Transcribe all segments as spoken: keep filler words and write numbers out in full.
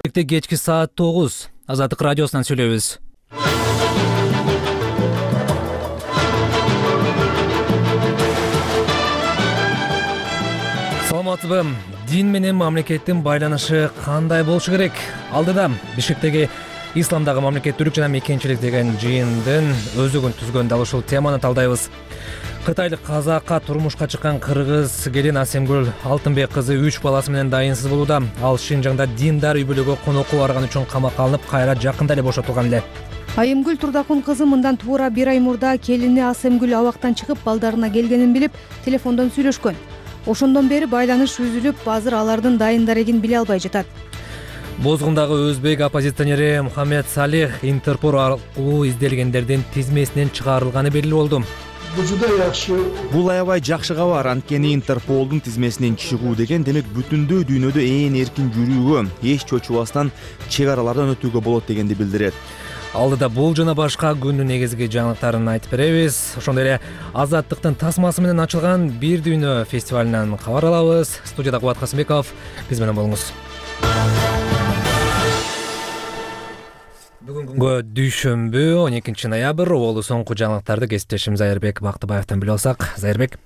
Кечки саат тогуз Азаттык радиосунан сүйлөйбүз. Саламатсызбы? Дин менен мамлекеттин байланышы кандай болушу керек? Алдыда Бишкектеги Исламдагы мамлекеттүүлүк жана мекенчилик деген жыйындын өзөгүн түзгөн дал ушул теманы талдайбыз. Кытайлык казакка турмушка чыккан кыргыз келин Асемгүл Алтынбек кызы үч баласы менен дайынсыз болууда. Ал Шинжаңда диндар үй бүлөгө конокко барган үчүн камакка алынып, кайра жакында эле бошотулган эле. Айымгүл Турдакун кызы мындан туура бир ай мурда келини Асемгүл абактан чыгып, балдарына келгенин билип, телефондон сүйлөшкөн. Ошондон бери байланыш үзүлүп, азыр алардын дайын дарегин биле албай жатат. Бозгундагы өзбек оппозиционери Мухаммед Салих Интерпол аркылуу изделгендердин тизмесинен чыгарылганы белгилүү болду. Бул аябай жакшы кабар. Анткени Интерполдун тизмесинен чыгуу деген демек бүтүндөй дүйнөдө ээн эркин жүрүүгө, эч чочубастан чек аралардан өтүүгө болот дегенди билдирет. Алдыда бул жана башка күндүн негизги жаңылыктарын айтып беребиз. Ошондой эле Азаттыктын тасмасы менен ачылган Бир дүйнө фестивалынан кабар алабыз. Студияда Кубат Касымбеков, биз менен болуңуз. Бүгүнкү күнгө дүйшөмбү он экинчи ноябрь болду. Соңку жаңылыктарды кесиптешим Зайырбек Бактыбаевден билип алсак. Зайырбек.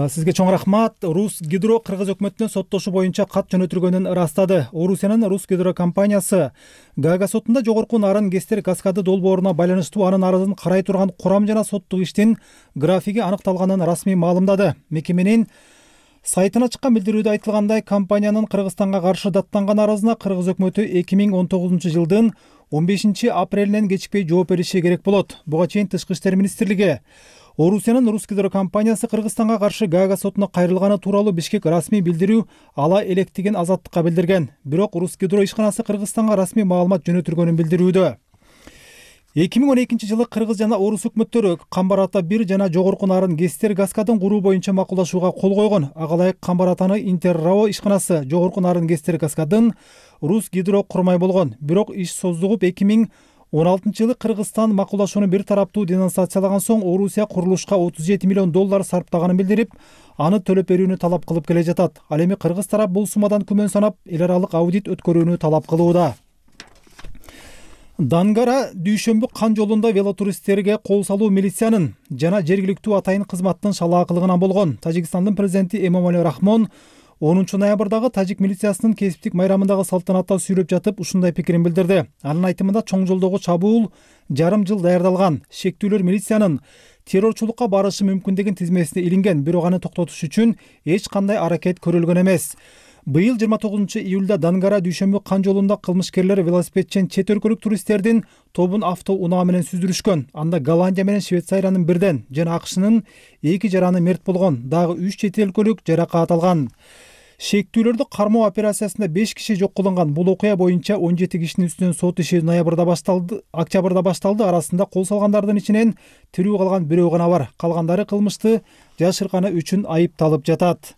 Сизге чоң рахмат. Рус Гидро кыргыз өкмөтүнө соттошу боюнча кат жөнөтүлгөнүн ырастады. Орусиянын Рус Гидро компаниясы Гаага сотунда жогорку нарын Гестер каскады долбооруна байланыштуу анын арызын карай турган курам жана соттук иштин графиги аныкталганын расмий маалымдады. Мекеменин сайтына чыккан билдирүүдө айтылгандай, компаниянын Кыргызстанга каршы даттанган арызына кыргыз өкмөтү эки миң он тогузунчу жылдын он бешинчи апрелинен кечикпей жооп бериши керек болот. Буга чейин Тышкы иштер министрлиги Орусиянын Рус Гидро компаниясы Кыргызстанга каршы Гаага сотуна кайрылганы тууралуу Бишкек расмий билдирүү ала электигин Азаттыкка билдирген. Бирок Рус Гидро ишканасы Кыргызстанга расмий маалымат жөнөтүлгөнүн билдирүүдө. эки миң он экинчи жылы кыргыз жана орус өкмөттөрү Камбар ата бир жана жогорку нарын Гестер каскадын куруу боюнча макулдашууга кол койгон. Ага ылайык Камбар атаны Интеррао ишканасы жогорку нарын Гестер каскадын Рус Гидро курмай болгон. Бирок иш создугуп эки миң он алтынчы жылы Кыргызстан макулдашууну бир тараптуу денонсациялаган соң Орусия курулушка отуз жети миллион доллар сарптаганын билдирип, аны төлөп берүүнү талап кылып келе жатат. Ал эми кыргыз тарап бул суммадан күмөн санап, эл аралык аудит өткөрүүнү талап кылууда. Дангара дүйшөмбү кан жолунда велотуристтерге кол салуу милициянын жана жергиликтүү атайын кызматтын шалаакылыгынан болгон. Тажикстандын президенти Эмомали Рахмон онунчу ноябрдагы тажик милициясынын кесиптик майрамындагы салтанатта сүйлөп жатып ушундай пикирин билдирди. Анын айтымында чоң жолдогу чабуул жарым жыл даярдалган. Шектүүлөр милициянын террорчулукка барышы мүмкүн тизмесине илинген, бирок аны токтотуш үчүн эч кандай аракет көрүлгөн эмес. Быйыл жыйырма тогузунчу июлда Дангара дүйшөмбү кан жолунда кылмышкерлер велосипедчен чет өлкөлүк туристтердин тобун автоунаа менен сүздүрүшкөн. Анда Голландия менен Швейцариянын бирден жана АКШнын эки жараны мерт болгон. Дагы үч чет өлкөлүк жаракат алган. Шектүүлөрдү кармоо операциясында беш киши жок кылынган. Бул окуя боюнча он жети кишинин үстүнөн сот иши ноябрда башталды, октябрда башталды. Арасында кол салгандардын ичинен тирүү калган бирөө гана бар. Калгандары кылмышты жашырганы үчүн айыпталып жатат.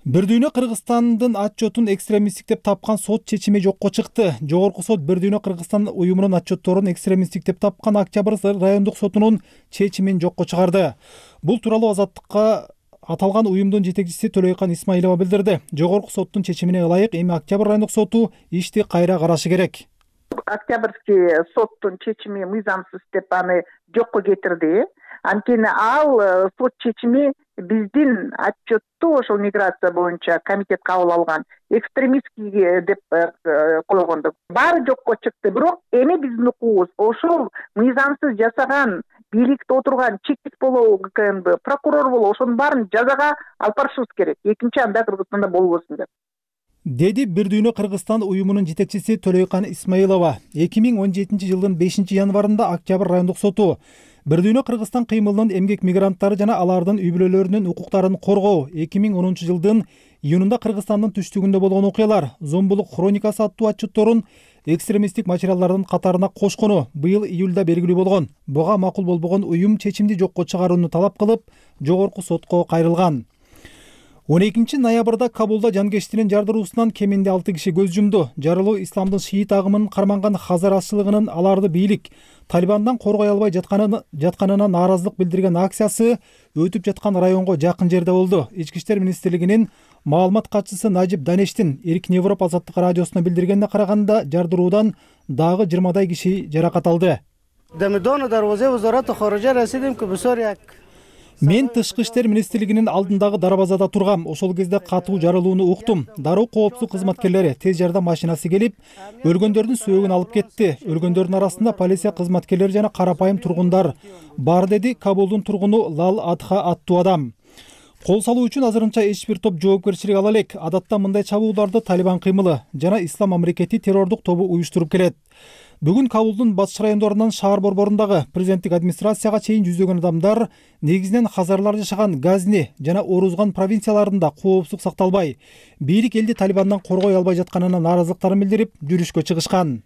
Бир дүйнө Кыргызстандын отчетун экстремисттик деп тапкан сот чечими жокко чыкты. Жогорку сот Бир дүйнө Кыргызстан уюмунун отчетторун экстремисттик деп тапкан Октябрь райондук сотунун чечимин жокко чыгарды. Бул тууралуу Азаттыкка аталган уюмдун жетекчиси Төлөйкан Исмаилова билдирди. Жогорку соттун чечимине ылайык эми Октябрь райондук соту ишти кайра карашы керек. Октябрьский соттун чечими мыйзамсыз деп аны жокко кетирди. Анткени ал сот чечими биздин отчетту ошол миграция боюнча комитет кабыл алган экстремистский деп койгондук. Баары жокко чыкты. Бирок эми биздин укугубуз ошол мыйзамсыз жасаган бийликте отурган чекит болобу, ГКМБ, прокурор болобу, ошонун баарын жазага алып барышыбыз керек. Экинчи анда Кыргызстанда болбосун деп. Деди Бир дүйнө Кыргызстан уюмунун жетекчиси Төлөйкан Исмаилова. эки миң он жетинчи жылдын бешинчи январында Октябрь райондук соту Бир дүйнө Кыргызстан кыймылынын эмгек мигранттары жана алардын үй бүлөлөрүнүн укуктарын коргоо эки миң онунчу жылдын июнунда Кыргызстандын түштүгүндө болгон окуялар зомбулук хроникасы аттуу отчетторун экстремисттик материалдардын катарына кошкону быйыл июлда белгилүү болгон. Буга макул болбогон уюм чечимди жокко чыгарууну талап кылып, жогорку сотко кайрылган. он экинчи ноябрда Кабулда жанкештинин жардыруусунан кеминде алты киши көз жумду. Жарылуу исламдын шиит агымын карманган Хазар азчылыгынын аларды бийлик Талибандан коргой албай жатканына нааразылык билдирген акциясы өтүп жаткан районго жакын жерде болду. Ички иштер министрлигинин Маалымат катчысы Najib Daneshtин Эркин Европа азаттык радиосуна билдиргенине караганда, жардыруудан дагы жыйырмадай киши жаракат алды. Мен тышкы иштер министрлигинин алдындагы дарбазада тургам. Ошол кезде катуу жарылууну уктум. Дароо коопсуздук кызматкерлери тез жардам машинасы келип, өлгөндөрдүн сөөгүн алып кетти. Өлгөндөрдүн арасында полиция кызматкерлери жана карапайым тургундар бар, деди Кабулдун тургуну Лал Адха аттуу адам. Кол салуу үчүн азырынча эч бир топ жоопкерчилик ала элек. Адатта мындай чабууларды Талибан кыймылы жана Ислам мамлекети террордук тобу уюштуруп келет. Бүгүн Кабулдун батыш райондорунан шаар борборундагы президенттик администрацияга чейин жүздөгөн адамдар негизинен хазарлар жашаган Газни жана Орузган провинцияларында коопсуздук сакталбай, бийлик элди Талибандан коргой албай жатканына нааразылыктарын билдирип, жүрүшкө чыгышкан.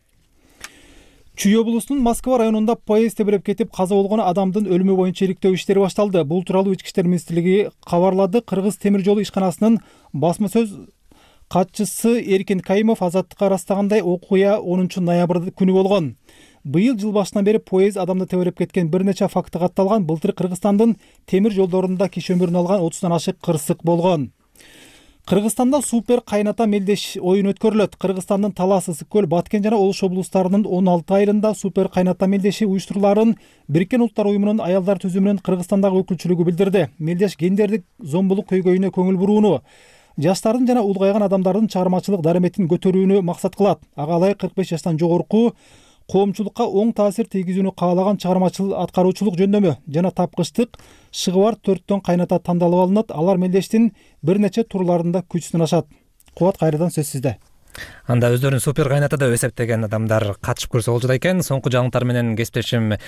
Чүй облусунун Москва районунда поезд тебелеп кетип каза болгон адамдын өлүмү боюнча иликтөө иштери башталды. Бул тууралуу Ички иштер министрлиги кабарлады. Кыргыз темир жолу ишканасынын басма сөз катчысы Эркин Кайымов азаттыкка ырастагандай, окуя онунчу ноябрь күнү болгон. Быйыл жыл башынан бери поезд адамды тебелеп кеткен бир нече факты катталган. Былтыр Кыргызстандын темир жолдорунда киши өмүрүн алган отуздан ашык кырсык болгон. Кыргызстанда супер кайната мелдеш оюн өткөрүлөт. Кыргызстандын Талас, Ысык көл, Баткен жана Ош облустарынын он алты айылында супер кайната мелдеши уюштуруларын Бириккен Улуттар уюмунун аялдар түзүмүнүн Кыргызстандагы өкүлчүлүгү билдирди. Мелдеш гендердик зомбулук көйгөйүнө көңүл бурууну, жаштардын жана улгайган адамдардын чыгармачылык дараметин көтөрүүнү максат кылат. Ага ылайык кырк беш жаштан жогорку коомчулукка оң таасир тийгизүүнү каалаган чыгармачыл аткаруучулук жөндөмү жана тапкычтык шыгы бар төрттөн кайната тандалып алынат. Алар мелдештин бир нече турларында күч сынашат. Кубат, кайрадан сөз сизде. Анда өздөрүн супер кайната деп эсептеген адамдар катышып көрсө болчу экен. Соңку жаңылыктар менен кесиптешим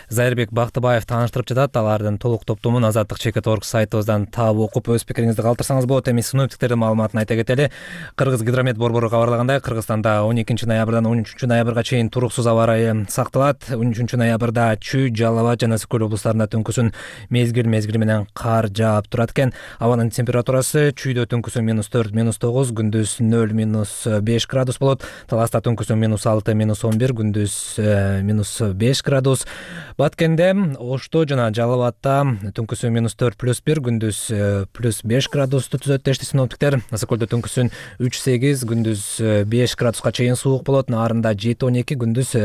Зайырбек Бактыбаев тааныштырып жатат. Алардын толук топтомун азаттык чекит точка орг сайтыбыздан таап окуп өз пикириңизди калтырсаңыз болот. Эми синоптиктердин маалыматын айта кетели. Кыргыз гидромет борбору кабарлагандай, Кыргызстанда он экинчи ноябрдан он үчүнчү ноябрга чейин туруксуз аба ырайы сакталат. он үчүнчү ноябрда Чүй, Жалал Абад жана Ысык көл облустарында түнкүсүн мезгил мезгили менен кар жаап турат экен. Абанын температурасы Чүйдө түнкүсүн минус төрт, минус тогуз, күндүз нөл, минус беш градус болот. Таласта түнкүсүн минус алты, минус он бир, күндүз минус беш градус. Баткенде, Ошто жана Жалал Абадта түнкүсүн минус төрт, плюс бир, күндүз плюс беш градусту түзөт дешти синоптиктер. Ысык көлдө түнкүсүн үч, сегиз, күндүз беш градуска чейин суук болот. Наарында жети, он эки, күндүз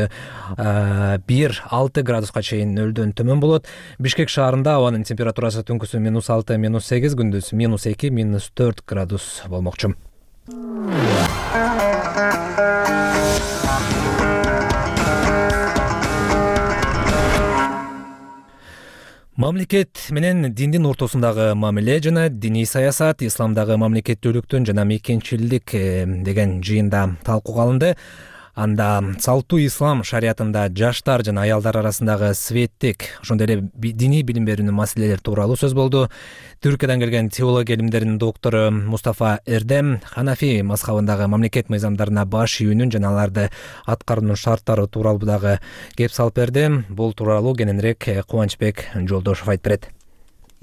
бир, алты градуска чейин нөлдөн төмөн болот. Бишкек шаарында абанын температурасы түнкүсүн минус алты, минус сегиз, күндүз минус эки, минус төрт градус болмокчу. Мамлекет менен диндин ортосундагы мамиле жана диний саясат исламдагы мамлекеттүүлүктүн жана мекенчилдик деген жыйында талкууга алынды. Анда салттуу ислам шариятында жаштар жана аялдар арасындагы светтик, ошондой эле диний билим берүүнүн маселелери тууралуу сөз болду. Түркиядан келген теология илимдеринин доктору Мустафа Эрдем Ханафи мазхабындагы мамлекет мыйзамдарына баш ийүүнүн жана аларды аткаруунун шарттары тууралуу дагы кеп салып берди. Бул тууралуу кененирээк Кубанычбек Жолдошов айтып берет.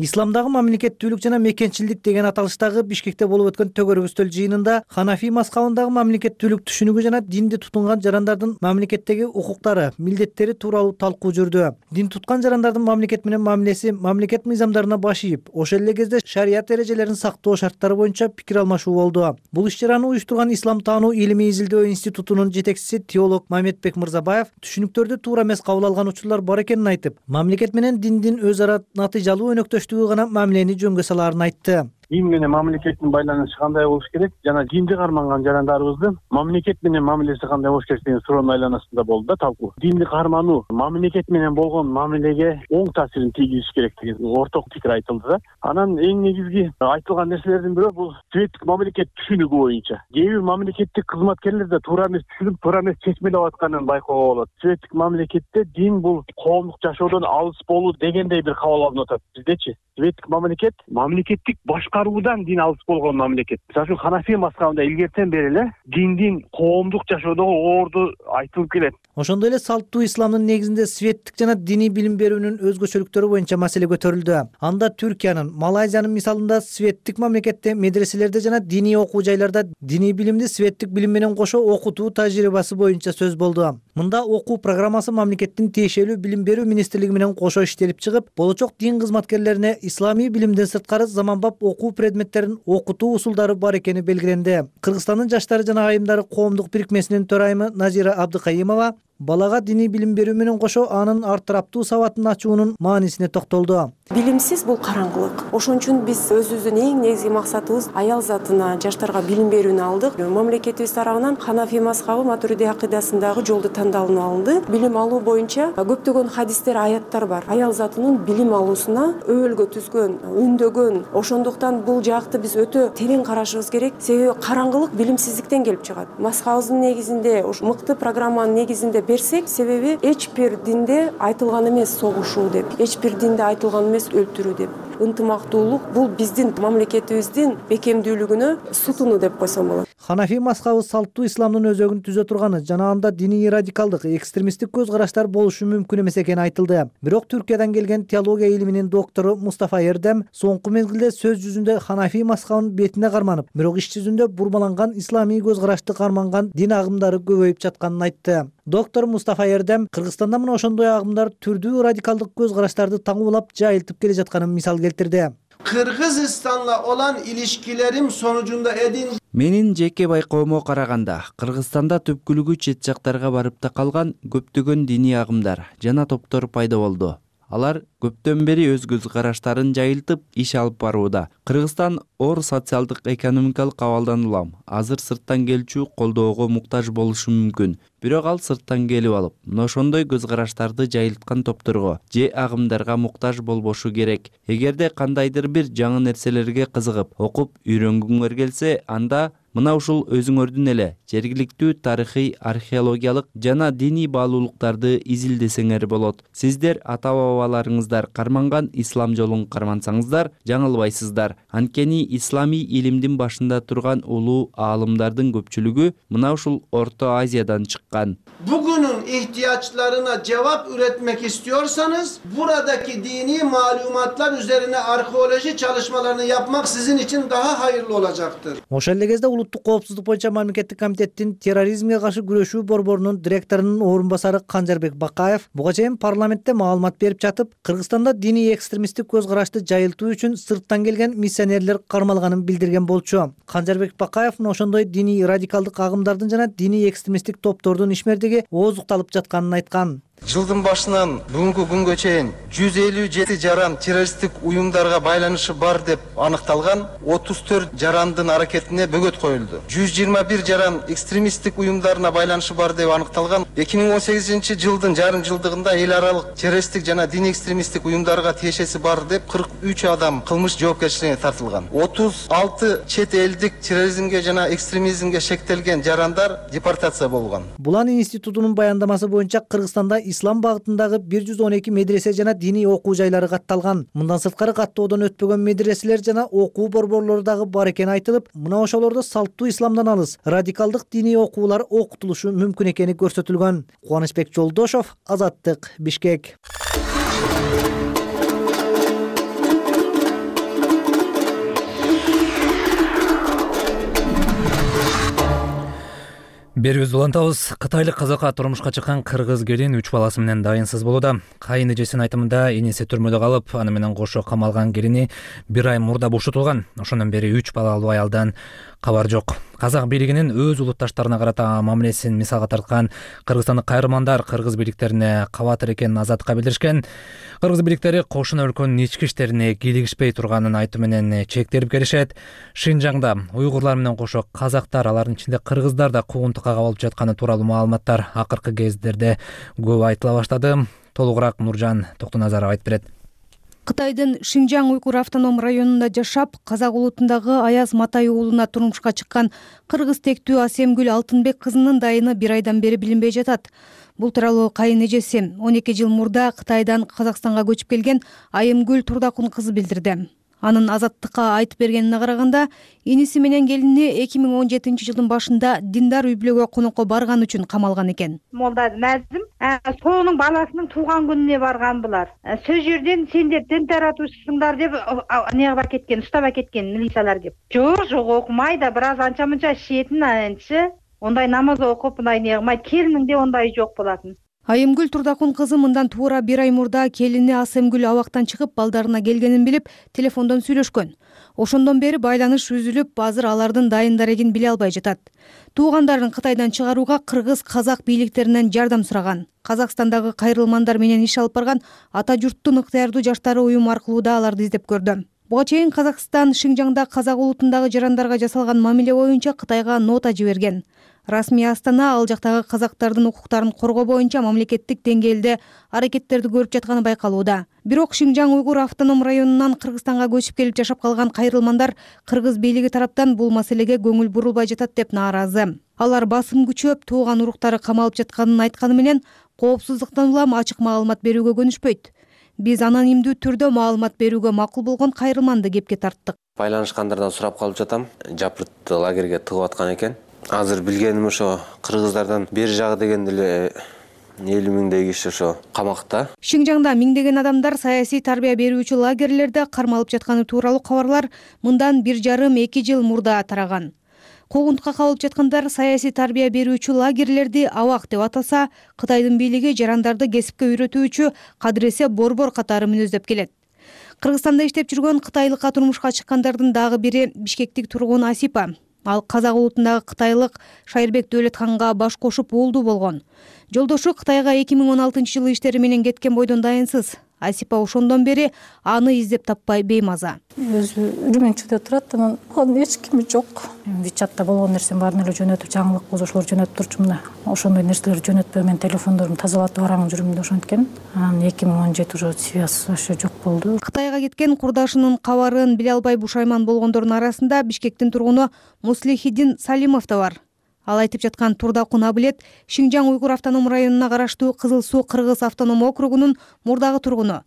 Исламдагы мамлекеттүүлүк жана мекенчилдик деген аталыштагы Бишкекте болуп өткөн төгөр үстөл жыйынында Ханафи мазхабындагы мамлекеттүүлүк түшүнүгү жана динди тутунган жарандардын мамлекеттеги укуктары, милдеттери тууралуу талкуу жүрдү. Дин туткан жарандардын мамлекет менен мамилеси мамлекет мыйзамдарына баш ийип, ошол эле кезде шарият эрежелерин сактоо шарттары боюнча пикир алмашуу болду. Бул иш-чараны уюштурган Ислам таануу илимий изилдөө институтунун жетекчиси теолог Мамедбек Мырзабаев түшүнүктөрдү туура эмес кабыл алган учурлар бар экенин айтып, мамлекет менен диндин өз ара натыйжалуу өнөктөш гана мамилени жөнгө салаарын айтты. Дин менен мамлекеттин байланышы кандай болуш керек жана динди карманган жарандарыбыздын мамлекет менен мамилеси кандай болуш керек деген суроонун айланасында болду да талкуу. Динди кармануу мамлекет менен болгон мамилеге оң таасирин тийгизиш керек деген орток пикир айтылды да. Анан эң негизги айтылган нерселердин бири бул светтик мамлекет түшүнүгү боюнча. Кээ бир мамлекеттик кызматкерлер да туура эмес түшүнүп, туура эмес чечмелеп атканын байкоого болот. Светтик мамлекетте дин бул коомдук жашоодон алыс болуу дегендей бир кабыл алынып атат. Биздечи светтик мамлекет мамлекеттик башкаруудан дин алыс болгон мамлекет. Мисалы үчүн Ханафи мазхабында илгертен бери эле диндин коомдук жашоодогу орду айтылып келет. Ошондой эле салттуу исламдын негизинде светтик жана диний билим берүүнүн өзгөчөлүктөрү боюнча маселе көтөрүлдү. Анда Түркиянын, Малайзиянын мисалында светтик мамлекетте медреселерде жана диний окуу жайларда диний билимди светтик билим менен кошо окутуу тажрыйбасы боюнча сөз болду. Мында окуу программасы мамлекеттин тиешелүү билим берүү министрлиги менен кошо иштелип чыгып, болочок дин кызматкерлерине исламий билимден сырткары заманбап окуу предметтерин окутуу усулдары бар экени белгиленди. Кыргызстандын жаштары жана айымдары коомдук бирикмесинин төрайымы Назира Абдыкайымова балага диний билим берүү менен кошо анын ар тараптуу сабатын ачуунун маанисине токтолду. Билимсиз бул караңгылык. Ошон үчүн биз өзүбүздүн эң негизги максатыбыз аял затына, жаштарга билим берүүнү алдык. Мамлекетибиз тарабынан Ханафи мазхабы Матуриди акыйдасындагы жолду тандалынып алынды. Билим алуу боюнча көптөгөн хадистер, аяттар бар. Аял затынын билим алуусуна өбөлгө түзгөн, үндөгөн. Ошондуктан бул жакты биз өтө терең карашыбыз керек. Себеби караңгылык билимсиздиктен келип чыгат. Мазхабыбыздын негизинде, ушу мыкты программанын негизинде берсек, себеби эч бир динде айтылган эмес согушуу деп, эч бир динде айтылган эмес өлтүрүү деп. Ынтымактуулук бул биздин мамлекетибиздин бекемдүүлүгүнө сутуну деп койсом болот. Ханафи мазхабы салттуу исламдын өзөгүн түзө турганы жана анда диний радикалдык, экстремисттик көз караштар болушу мүмкүн эмес экени айтылды. Бирок Түркиядан келген теология илиминин доктору Мустафа Эрдем соңку мезгилде сөз жүзүндө Ханафи мазхабынын бетине карманып, бирок иш жүзүндө бурмаланган исламий көз карашты карманган дин агымдары көбөйүп жатканын айтты. Доктор Мустафа Эрдем Кыргызстанда мына ошондой агымдар түрдүү радикалдык көз караштарды таңуулап жайылтып келе жатканын мисал келтирди. Кыргызстанла olan ilişkilerim sonucunda edin. Менин жеке байкоомо караганда, Кыргызстанда түпкүлүгү чет жактарга барып та калган көптөгөн диний агымдар жана топтор пайда болду. Алар көптөн бери өз көз караштарын жайылтып иш алып барууда. Кыргызстан оор социалдык экономикалык абалдан улам. Азыр сырттан келчү колдоого муктаж болушу мүмкүн. Бирок ал сырттан келип алып, мына ошондой көз караштарды жайылткан топторго же агымдарга муктаж болбошу керек. Эгерде кандайдыр бир жаңы нерселерге кызыгып, окуп, үйрөнгүңөр келсе, анда мына ушул өзүңөрдүн эле жергиликтүү тарыхый, археологиялык жана диний баалуулуктарды изилдесеңер болот. Сиздер ата-бабаларыңыздар карманган ислам жолун кармансаңыздар, жаңылбайсыздар. Анткени исламий илимдин башында турган улуу аалымдардын көпчүлүгү мына ушул Орто Азиядан чыккан. Bugünün ihtiyaçlarına cevap üretmek istiyorsanız buradaki dini malumatlar üzerine arkeoloji çalışmalarını yapmak sizin için daha hayırlı olacaktır. Ошол эле кезде улуттук коопсуздук боюнча мамлекеттик комитеттин терроризмге каршы күрөшүү борборунун директорунун орун басары Канжарбек Бакаев буга чейин парламентте маалымат берип жатып, Кыргызстанда диний экстремисттик көз карашты жайылтуу үчүн сырттан келген миссионерлер кармалганын билдирген болчу. Канжарбек Бакаев ошондой диний радикалдык агымдардын жана диний экстремисттик топтордун ишмердиги ооздукталып жатканын айткан. Жылдын башынан бүгүнкү күнгө чейин жүз элүү жети жаран террористтик уюмдарга байланышы бар деп аныкталган, отуз төрт жарандын аракетине бөгөт коюлду. жүз жыйырма бир жаран экстремисттик уюмдарына байланышы бар деп аныкталган. эки миң он сегизинчи жылдын жарым жылдыгында эл аралык террористтик жана диний экстремисттик уюмдарга тиешеси бар деп кырк үч адам кылмыш жоопкерчилигине тартылган. отуз алты чет элдик терроризмге жана экстремизмге шектелген жарандар депортация болгон. Булан институтунун баяндамасы боюнча Кыргызстанда ислам багытындагы бир жүз он эки медресе жана диний окуу жайлары катталган. Мындан сырткары каттоодон өтпөгөн медреселер жана окуу борборлору дагы бар экени айтылып, мына ошолордо салттуу исламдан алыс радикалдык диний окуулар окутулушу мүмкүн экени көрсөтүлгөн. Кубанычбек Жолдошов, Азаттык, Бишкек. Берүүбүздү улантабыз. Кытайлык казакка турмушка чыккан кыргыз келин үч баласы менен дайынсыз болууда. Кайын эжесинин айтымында эниси түрмөдө калып, аны менен кошо камалган келини бир ай мурда бошотулган. Ошондон бери үч балалуу аялдан кабар жок. Казак бийлигинин өз улутташтарына карата мамилесин мисалга тарткан кыргызстандык кайрымандар кыргыз бийликтерине кабатыр экенин Азаттыкка билдиришкен. Кыргыз бийликтери кошуна өлкөнүн ички иштерине кийлигишпей турганын айтуу менен чектелип келишет. Шинжаңда уйгурлар менен кошо казактар, алардын ичинде кыргыздар да куугунтукка кабылып жатканы тууралуу маалыматтар акыркы кездерде көп айтыла баштады. Толугураак Нуржан Токтоназаров айтып берет. Кытайдын Шинжаң уйгур автоном районунда жашап, казак улутундагы Аяз Матай уулуна турмушка чыккан кыргыз тектүү Асемгүл Алтынбек кызынын дайыны бир айдан бери билинбей жатат. Бул тууралуу кайын эжеси он эки жыл мурда Кытайдан Казакстанга көчүп келген Айымгүл Турдакун кызы билдирди. Анын Азаттыкка айтып бергенине караганда, иниси менен келини эки миң он жетинчи жылдын башында диндар үй бүлөгө конокко барган үчүн камалган экен. Молда Назим сонун баласынын тууган күнүнө барган булар. Сөз жерден сендер дин таратуучусуңдар деп нега кеткен, уштап кеткен милициялар кеп. Жок, жок окумай да бир аз анча мынча иштетин анчы. ондай намаз окуп мындай эмне кылмайт. Келиниңде ондай жок болатын. Айымгүл Турдакун кызы мындан туура бир ай мурда келини Асемгүл абактан чыгып балдарына келгенин билип телефондон сүйлөшкөн. Ошондон бери байланыш үзүлүп, азыр алардын дайын дарегин биле албай жатат. Туугандарын Кытайдан чыгарууга кыргыз, казак бийликтеринен жардам сураган. Казакстандагы кайрылмандар менен иш алып барган Ата журттун ыктыярдуу жаштары уюм аркылуу да аларды издеп көрдү. Буга чейин Казакстан Шинжаңда казак улутундагы жарандарга жасалган мамиле боюнча Кытайга нота жиберген. Расмий Астана ал жактагы казактардын укуктарын коргоо боюнча мамлекеттик деңгээлде аракеттерди көрүп жатканы байкалууда. Бирок Шинжаң уйгур автоном районунан Кыргызстанга көчүп келип жашап калган кайрылмандар кыргыз бийлиги тараптан бул маселеге көңүл бурулбай жатат деп нааразы. Алар басым күчөп, тууган уруктары камалып жатканын айтканы менен коопсуздуктан улам ачык маалымат берүүгө көнүшпөйт. Биз анонимдүү түрдө маалымат берүүгө макул болгон кайрылманды кепке тарттык. Байланышкандардан сурап калып жатам. Жапыртты лагерге тыгып аткан экен. Азыр билгеним ошо кыргыздардан бери жагы дегенде эле элүү миңдей киши ошо камакта. Шинжаңда миңдеген адамдар саясий тарбия берүүчү лагерлерде кармалып жатканы тууралуу кабарлар мындан бир жарым эки жыл мурда тараган. Куугунтукка кабылып жаткандар саясий тарбия берүүчү лагерлерди абак деп атаса, Кытайдын бийлиги жарандарды кесипке үйрөтүүчү кадыресе борбор катары мүнөздөп келет. Кыргызстанда иштеп жүргөн кытайлыкка турмушка чыккандардын дагы бири Бишкектик тургун Асипа. Ал казак улутундагы кытайлык Шайырбек Дөөлөтканга баш кошуп уулдуу болгон. Жолдошу Кытайга эки миң он алтынчы жылы иштери менен кеткен бойдон дайынсыз. Асипа ошондон бери аны издеп таппай беймаза. Өзү Үрүмөнчүдө турат, анан анын эч кими жок. Вичатта болгон нерсем баарын эле жөнөтүп, жаңылык болушулар жөнөтүп турчумун да. Ошондой нерселерди жөнөтпөй мен телефондорумду тазалатып араңын жүрүм да ошенткен. Анан эки миң он жети уже связь вообще жок болду. Кытайга кеткен курдашынын кабарын биле албай бушайман болгондордун арасында Бишкектин тургуну Муслихидин Салимов да бар. Ал айтып жаткан Турдакун Абилет Шинжаң уйгур автоном районуна караштуу Кызыл Суу кыргыз автоном округунун мурдагы тургуну.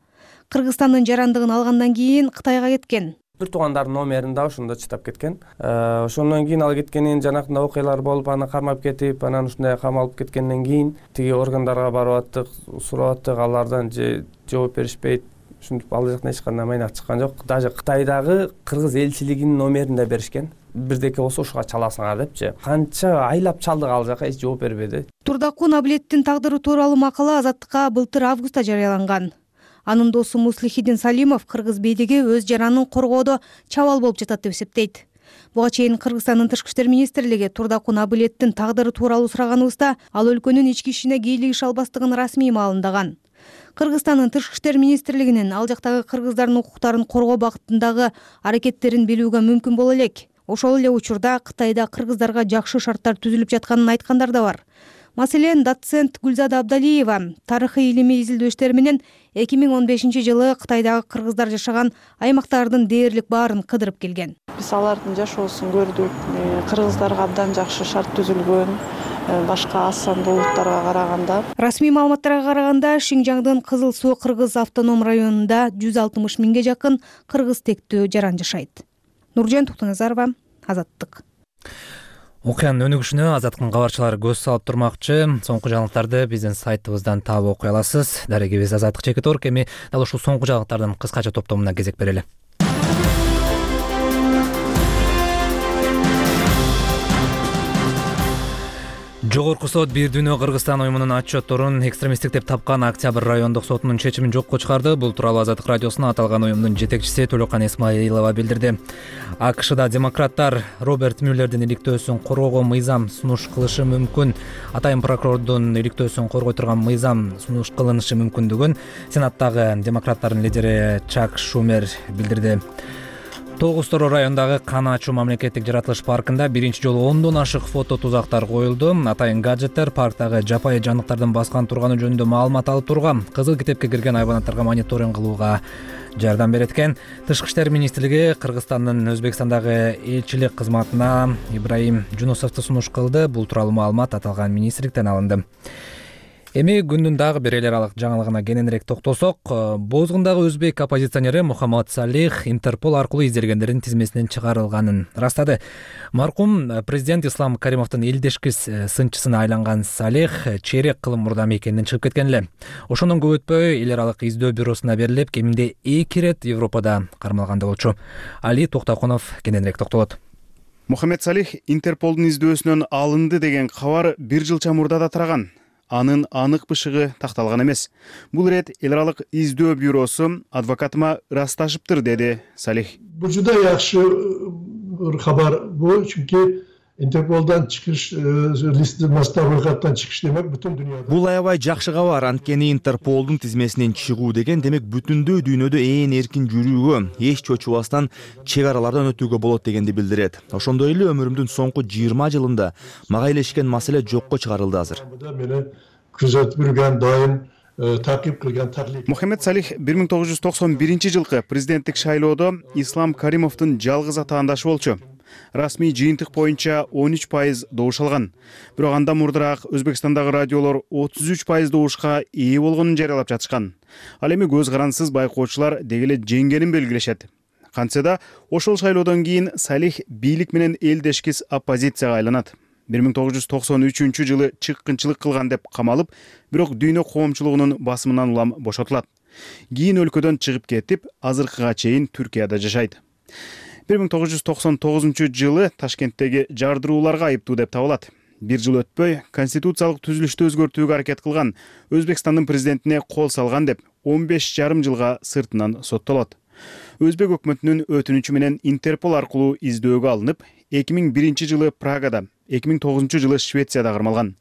Кыргызстандын жарандыгын алгандан кийин Кытайга кеткен. Бир туугандардын номерин да ошондо чытап кеткен. Ошондон кийин ал кеткенин жанагындай окуялар болуп, аны кармап кетип, анан ушундай камалып кеткенден кийин тиги органдарга барып аттык, сурап аттык, алардан же жооп беришпейт. Ушинтип ал жактан эч кандай майнак чыккан жок. Даже Кытайдагы кыргыз элчилигинин номерин да беришкен. Бирдеке болсо ушуга чаласыңар депчи. Канча айлап чалдык, ал жака эч жооп бербеди. Турдакун Абилеттин тагдыры тууралуу макала Азаттыкка былтыр августта жарыяланган. Анын досу Муслихидин Салимов кыргыз бийлиги өз жаранын коргоодо чабал болуп жатат деп эсептейт. Буга чейин Кыргызстандын Тышкы иштер министрлиги Турдакун Абилеттин тагдыры тууралуу сураганыбызда ал өлкөнүн ички ишине кийлигише албастыгын расмий маалымдаган. Кыргызстандын Тышкы иштер министрлигинин ал жактагы кыргыздардын укуктарын коргоо бакытындагы аракеттерин билүүгө мүмкүн боло элек. Ошол эле учурда Кытайда кыргыздарга жакшы шарттар түзүлүп жатканын айткандар да бар. Маселен, доцент Гүлзада Абдалиева тарыхый илимий изилдөө иштери менен эки миң он бешинчи жылы Кытайдагы кыргыздар жашаган аймактардын дээрлик баарын кыдырып келген. Биз алардын жашоосун көрдүк. Кыргыздарга абдан жакшы шарт түзүлгөн, башка аз сандуу улуттарга караганда. Расмий маалыматтарга караганда, Шинжаңдын Кызыл Суу кыргыз автоном районунда жүз алтымыш миңге жакын кыргыз тектүү жаран жашайт. Нуржан Токтоназарова, Азаттык. Окуянын өнүгүшүнө Азаттыктын кабарчылары көз салып турмакчы. Соңку жаңылыктарды биздин сайтыбыздан таап окуй аласыз. Дарегибиз Азаттык чекит орг. Эми дал ушул соңку жаңылыктардын кыскача топтомуна кезек берели. Жогорку сот Бир дүйнө Кыргызстан уюмунун отчетторун экстремисттик деп тапкан Октябрь райондук сотунун чечимин жокко чыгарды. Бул тууралуу Азаттык радиосуна аталган уюмдун жетекчиси Төлөкан Исмаилова билдирди. АКШда демократтар Роберт Мюллердин иликтөөсүн коргоого мыйзам сунуш кылышы мүмкүн. Атайын прокурордун иликтөөсүн коргой турган мыйзам сунуш кылынышы мүмкүндүгүн Сенаттагы демократтардын лидери Чак Шумер билдирди. Тогуз-Тороо райондагы Кан ачуу мамлекеттик жаратылыш паркында биринчи жолу ондон ашык фото тузактар коюлду. Атайын гаджеттер парктагы жапайы жандыктардын баскан турганы жөнүндө маалымат алып турган. Кызыл китепке кирген айбанаттарга мониторинг кылууга жардам берет экен. Тышкы иштер министрлиги Кыргызстандын Өзбекстандагы элчилик кызматына Ибраим Жунусовду сунуш кылды. Бул тууралуу маалымат аталган министрликтен алынды. Эми күндүн дагы бир эл аралык жаңылыгына кененирээк токтолсок, Бозгундагы өзбек оппозиционери Мухаммад Салих Интерпол аркылуу изделгендердин тизмесинен чыгарылганын растады. Маркум президент Ислам Каримовдун элдешкис сынчысына айланган Салих чейрек кылым мурда мекенинен чыгып кеткен эле. Ошондон көп өтпөй эл аралык издөө бюросуна берилип, кеминде эки ирет Европада кармалган болчу. Али Токтокунов кененирээк токтолот. Мухаммед Салих Интерполдун издөөсүнөн алынды деген кабар бир жылча мурда да тараган. Анын анык бышыгы такталган эмес. Бул ирет эл аралык издөө бюросу адвокатыма ырасташыптыр, деди Салих. Бул жуда жакшы кабар бул, чүнки Интерполдан чыгыш листи мастабыкаттан чыгыш демек бүтүн дүйнөдө. Бул аябай жакшы кабар, анткени Интерполдун тизмесинен чыгуу деген демек бүтүндөй дүйнөдө ээн эркин жүрүүгө, эч чочубастан чек аралардан өтүүгө болот дегенди билдирет. Ошондой эле өмүрүмдүн соңку жыйырма жылында мага илешкен маселе жокко чыгарылды азыр. Мени күзөтүп жүргөн, дайым такип кылган таклик. Мухаммед Салих бир миң тогуз жүз токсон биринчи жылкы президенттик шайлоодо Ислам Каримовдун жалгыз атаандашы болчу. Расмий жыйынтык боюнча он үч пайыз добуш алган. Бирок андан мурдараак Өзбекстандагы радиолор отуз үч пайыз добушка ээ болгонун жарыялап жатышкан. Ал эми көз карансыз байкоочулар деги эле жеңгенин белгилешет. Кантсе да ошол шайлоодон кийин Салих бийлик менен элдешкис оппозицияга айланат. бир миң тогуз жүз токсон үчүнчү жылы чыккынчылык кылган деп камалып, бирок дүйнө коомчулугунун басымынан улам бошотулат. Кийин өлкөдөн чыгып кетип, азыркыга чейин Түркияда жашайт. бир миң тогуз жүз токсон тогузунчу жылы Ташкенттеги жардырууларга айыптуу деп табылат. Бир жыл өтпөй, конституциялык түзүлүштү өзгөртүүгө аракет кылган, Өзбекстандын президентине кол салган деп он беш жарым жылга сыртынан соттолот. Өзбек өкмөтүнүн өтүнүчү менен Интерпол аркылуу издөөгө алынып, эки миң биринчи жылы Прагада, эки миң тогузунчу жылы Швецияда кармалган.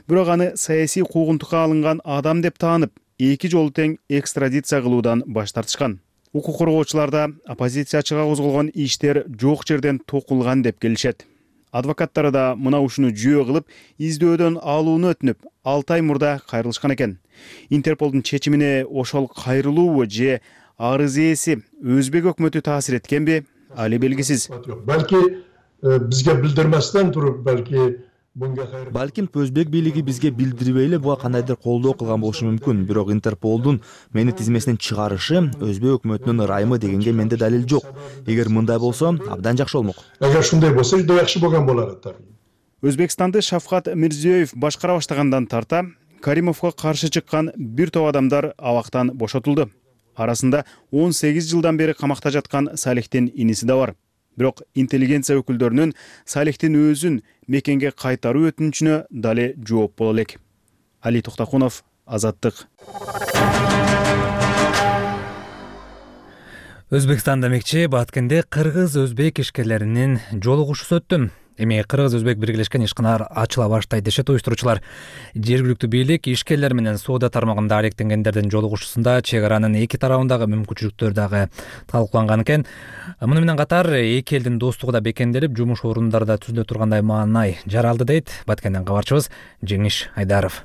Бирок аны саясий куугунтукка алынган адам деп таанып, эки жолу тең экстрадиция кылуудан баш тартышкан. Укук коргоочуларда оппозициячыга козголгон иштер жок жерден токулган деп келишет. Адвокаттары да мына ушуну жүйө кылып, издөөдөн алууну өтүнүп, алты ай мурда кайрылышкан экен. Интерполдун чечимине ошол кайрылуу же арыз ээси Өзбек өкмөтү таасир эткенби, али белгисиз. Балки бизге билдирместен туруп, балки Балким Өзбек бийлиги бизге билдирбей эле буга кандайдыр колдоо кылган болушу мүмкүн. Бирок Интерполдун мени тизмесинен чыгарышы Өзбек өкмөтүнүн ырайымы дегенге менде далил жок. Эгер мындай болсо, абдан жакшы болмок. Эгер ушундай болсо, жакшы жакшы болгон болот. Өзбекстанды Шавкат Мирзиёев башкара баштагандан тарта Каримовго каршы чыккан бир топ адамдар абактан бошотулду. Арасында он сегиз жылдан бери камакта жаткан Салихтин иниси да бар. Бирок интеллигенция өкүлдөрүнүн Салихтин өзүн мекенге кайтаруу өтүнүчүнө дале жооп боло элек. Али Токтакунов, Азаттык. Өзбекстан демекчи Баткенде кыргыз-өзбек ишкерлеринин жолугушуусу өттү. Эми кыргыз-өзбек биргелешкен ишканар ачыла баштайт дешет уюштуруучулар. Жергиликтүү бийлик ишкерлер менен соода тармагында алектенгендердин жолугушуусунда чек аранын эки тарабындагы мүмкүнчүлүктөр дагы талкууланган экен. Муну менен катар эки элдин достугу да бекемделип, жумуш орундары да түзүлө тургандай маанай жаралды дейт Баткенден кабарчыбыз Жеңиш Айдаров.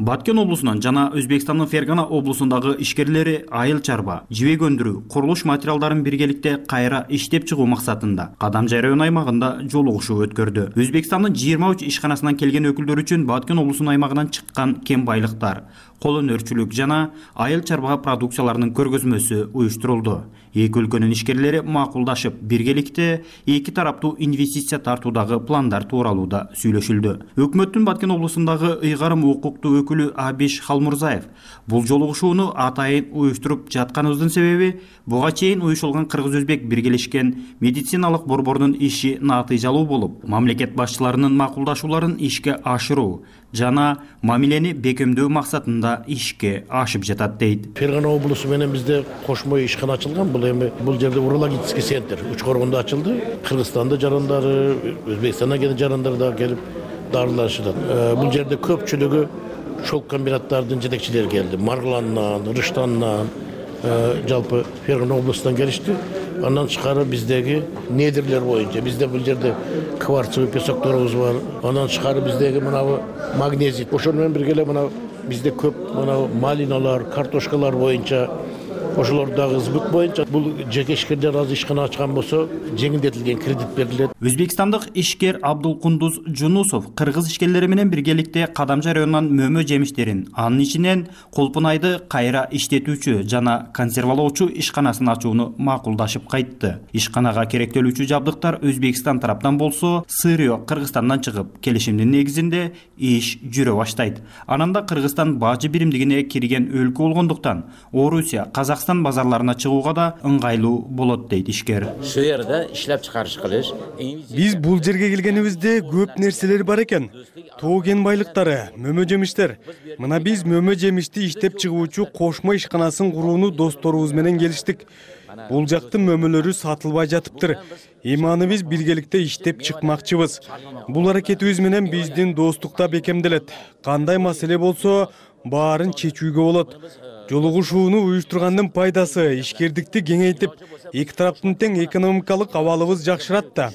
Баткен облусунан жана Өзбекстандын Фергана облусундагы ишкерлери айыл чарба, жибек өндүрүү, курулуш материалдарын биргеликте кайра иштеп чыгуу максатында Кадамжай району аймагында жолугушуу өткөрдү. Өзбекстандын жыйырма үч ишканасынан келген өкүлдөр үчүн Баткен облусунун аймагынан чыккан кен байлыктар, кол өнөрчүлүк жана айыл чарба продукцияларынын көргөзмөсү уюштурулду. Эки өлкөнүн ишкерлери макулдашып, биргеликте эки тараптуу инвестиция тартуудагы пландар тууралуу да сүйлөшүлдү. Өкмөттүн Баткен облусундагы ыйгарым укуктуу өкүлү Абиш Халмурзаев бул жолугушууну атайын уюштуруп жатканыбыздын себеби буга чейин уюшулган кыргыз-өзбек биргелешкен медициналык борборунун иши натыйжалуу болуп, мамлекет башчыларынын макулдашууларын ишке ашыруу жана мамилени бекемдөө максатында ишке ашып жатат дейт. Фергана облусу менен бизде кошмо ишкана ачылган. Бул эми бул жерде урологический центр Учкоргондо ачылды. Кыргызстанда жарандары, Өзбекстандан келген жарандар да келип дарылашат. Бул жерде көпчүлүгү шелк комбинаттардын жетекчилери келди. Маргландан, Рыштандан, жалпы Фергана облусунан келишти. Андан тышкары биздеги недрлер боюнча бизде бул жерде кварцевый песокторубуз бар. Андан тышкары биздеги мына магнезит. Ошону менен бирге эле мына бизде көп мына малиналар, картошкалар боюнча ошолор дагы сбыт боюнча бул жеке ишкерлер азыр ишкана ачкан болсо жеңилдетилген кредит берилет. Өзбекстандык ишкер Абдулкундуз Жунусов кыргыз ишкерлери менен биргеликте Кадамжай районунан мөмө жемиштерин, анын ичинен Колпунайды кайра иштетүүчү жана консервалоочу ишканасын ачууну макулдашып кайтты. Ишканага керектелүүчү жабдыктар Өзбекстан тараптан болсо, сырьё Кыргызстандан чыгып, келишимдин негизинде иш жүрө баштайт. Анан да Кыргызстан бажы биримдигине кирген өлкө болгондуктан Орусия, Казакстан Казакстан базарларына чыгууга да ыңгайлуу болот дейт ишкер. Ушул жерде иштеп чыгарыш кылыш. Биз бул жерге келгенибизде көп нерселер бар экен. Тоо кен байлыктары, мөмө жемиштер. Мына биз мөмө жемишти иштеп чыгуучу кошмо ишканасын курууну досторубуз менен келиштик. Бул жактын мөмөлөрү сатылбай жатыптыр. Эми аны биз биргеликте иштеп чыкмакчыбыз. Бул аракетибиз менен биздин достукта бекемделет. Кандай маселе болсо, баарын чечүүгө болот. Жолугушууну уюштургандын пайдасы ишкердикти кеңейтип, эки тараптын тең экономикалык абалыбыз жакшырат да.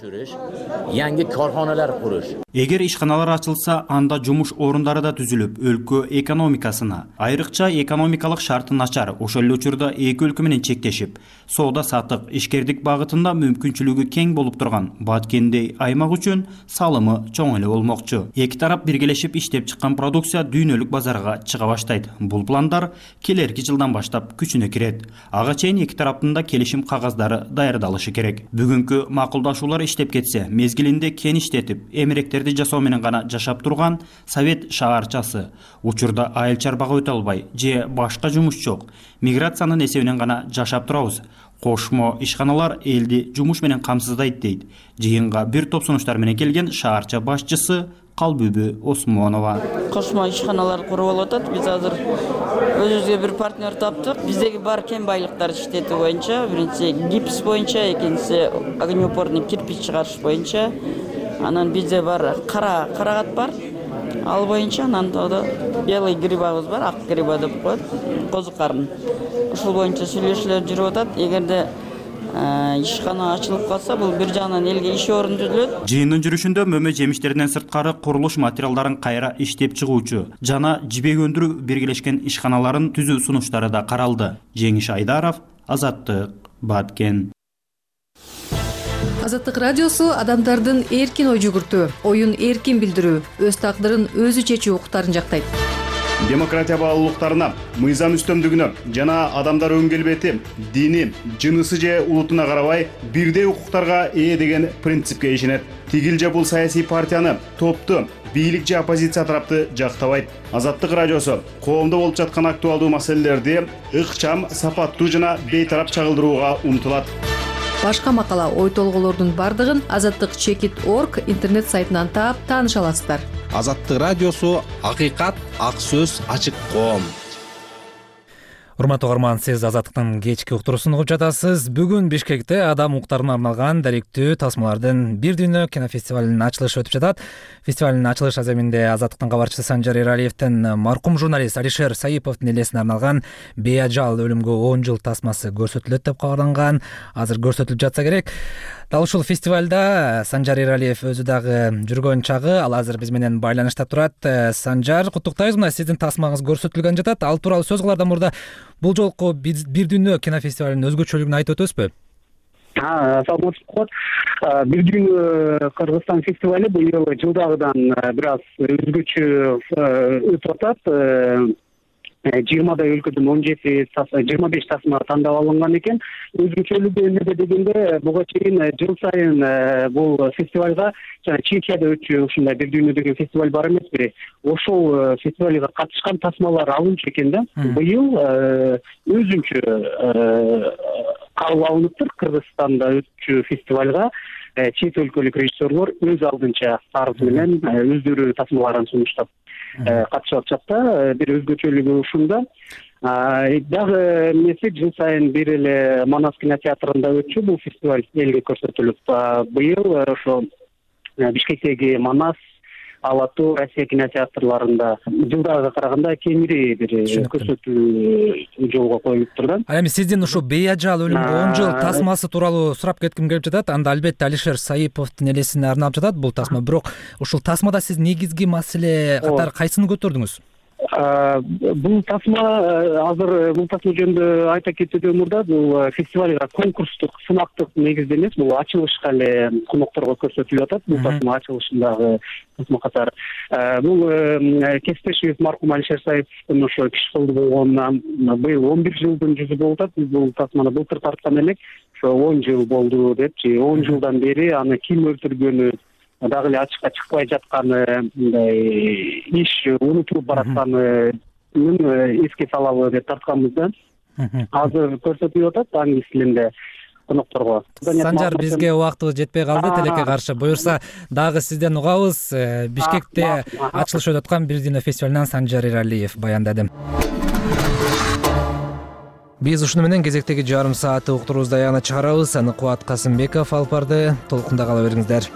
Yangi korxonalar qurish. Эгер ишканалар ачылса, анда жумуш орундары да түзүлүп, өлкө экономикасына, айрыкча экономикалык шарты начар, ошол эле учурда эки өлкө менен чектешип, соода саттык, ишкердик багытында мүмкүнчүлүгү кең болуп турган Баткендей аймак үчүн салымы чоң эле болмокчу. Эки тарап биргелешип иштеп чыккан продукция дүйнөлүк базарга чыга баштайт. Бул пландар келерки жылдан баштап күчүнө кирет. Ага чейин эки тараптын да келишим кагаздары даярдалышы керек. Бүгүнкү макулдашуулар иштеп кетсе, мезгилинде кен иштетип, эмеректерди жасоо менен гана жашап турган Совет шаарчасы учурда айыл чарбага өтө албай же башка жумуш жок, миграциянын эсебинен гана жашап турабыз. Кошмо ишканалар элди жумуш менен камсыздайт дейт. Жыйынга бир топ сунуштар менен келген шаарча башчысы Калбүбү Осмонова. Кошмо ишканалар куруп алып атат. Биз азыр өзүбүзгө бир партнер таптык. Биздеги бар кен байлыктар иштетүү боюнча, биринчи гипс боюнча, экинчиси огнеупорный кирпич чыгарыш боюнча. Анан бизде бар кара карагат бар. Ал боюнча анан да белый грибабыз бар, ак гриба деп коет, козу карын. Ушул боюнча сүйлөшүүлөр жүрүп атат. Эгерде ишкана ачылып калса, бул бир жагынан элге иш орун түзүлөт. Жыйындын жүрүшүндө мөмө жемиштеринен сырткары курулуш материалдарын кайра иштеп чыгуучу жана жибек өндүрүү биргелешкен ишканаларын түзүү сунуштары да каралды. Жеңиш Айдаров, Азаттык, Баткен. Азаттык радиосу адамдардын эркин ой жүгүртүү, оюн эркин билдирүү, өз тагдырын өзү чечүү укуктарын жактайт. Демократия баалуулуктарына, мыйзам үстөмдүгүнө жана адамдар өн келбети, дини, жынысы же улутуна карабай бирдей укуктарга ээ деген принципке ишенет. Тигил же бул саясий партияны, топту, бийлик же оппозиция тарапты жактабайт. Азаттык радиосу коомдо болуп жаткан актуалдуу маселелерди ыкчам, сапаттуу жана бейтарап чагылдырууга умтулат. Башка макала, ой толголордун бардыгын азаттык чекит точка орг интернет сайтынан таап тааныша аласыздар. Азаттык радиосу акыйкат, ак сөз, ачык коом. Урматтуу угарман, сиз Азаттыктын кечки уктуруусун угуп жатасыз. Бүгүн Бишкекте адам укуктарына арналган даректүү тасмалардын бир дүйнө кинофестивалынын ачылышы өтүп жатат. Фестивалдын ачылыш аземинде Азаттыктын кабарчысы Санжар Эралиевдин маркум журналист Алишер Саиповдун элесине арналган беажал өлүмгө он жыл тасмасы көрсөтүлөт деп кабарланган. Азыр көрсөтүлүп жатса керек. Дал ушул фестивалда Санжар Эралиев өзү дагы жүргөн чагы, ал азыр биз менен байланышта турат. Санжар, куттуктайбыз, мына сиздин тасмаңыз көрсөтүлгөн жатат. Ал тууралуу сөз кылаардан мурда бул жолку бир дүйнө кинофестивалынын өзгөчөлүгүн айтып өтөбүзбү? Саламатсызбы. Бир дүйнө Кыргызстан фестивалы быйыл жылдагыдан бир аз өзгөчө өтүп атат. жыйырмадай өлкөдөн он жети жыйырма беш тасма тандап алынган экен. Өзгөчөлүгү эмнеде дегенде, буга чейин жыл сайын бул фестивалга жана Чехияда өтчү ушундай бир дүйнө деген фестиваль бар эмеспи? Ошол фестивалга катышкан тасмалар алынчу экен да. Быйыл өзүнчө кабыл алыныптыр. Кыргызстанда өтчү фестивалга чет өлкөлүк режиссерлор өз алдынча арыз менен өздөрү тасмаларын сунуштап катышып атышат да. Бир өзгөчөлүгү ушунда. Дагы эмеси, жыл сайын бир эле Манас кинотеатрында өтчү бул фестиваль элге көрсөтүлүп. Быйыл ошо Бишкектеги Манас, Алатуу, Россия кинотеатрларында жылдагыга караганда кеңири бир көрсөтүү жолго коюлуптур да. Ал эми сиздин ушу беажал өлүмгө он жыл тасмасы тууралуу сурап кетким келип жатат. Анда албетте Алишер Саиповдун элесине арналып жатат бул тасма. Бирок ушул тасмада сиз негизги маселе катары кайсыны көтөрдүңүз? Бул тасма азыр бул тасма жөнүндө айта кетүүдөн мурда бул фестивалга конкурстук, сынактык негизде эмес, бул ачылышка эле конокторго көрсөтүлүп атат. Бул тасма ачылышындагы тасма катары. Бул кесиптешибиз маркум Алишер Саиповдун ошо киши кылды болгон быйыл он бир жылдын жүзү болуп атат. Биз бул тасманы былтыр тарткан элек. Ошо он жыл болду депчи, он жылдан бери аны ким өлтүргөнү дагы эле ачыкка чыкпай жатканы, мындай иш унутулуп баратканын эске салалы деп тартканбыз да. азыр көрсөтүлүп атат англис тилинде конокторго. Санжар, бизге убактыбыз жетпей калды, тилекке каршы. Буюрса дагы сизден угабыз. Бишкекте ачылыш өтүп аткан Бир дүйнө фестивалынан Санжар Эралиев баяндады. Биз ушуну менен кезектеги жарым саатты уктуруубузду аягына чыгарабыз. Аны Кубат Касымбеков алып барды. Толкунда кала бериңиздер.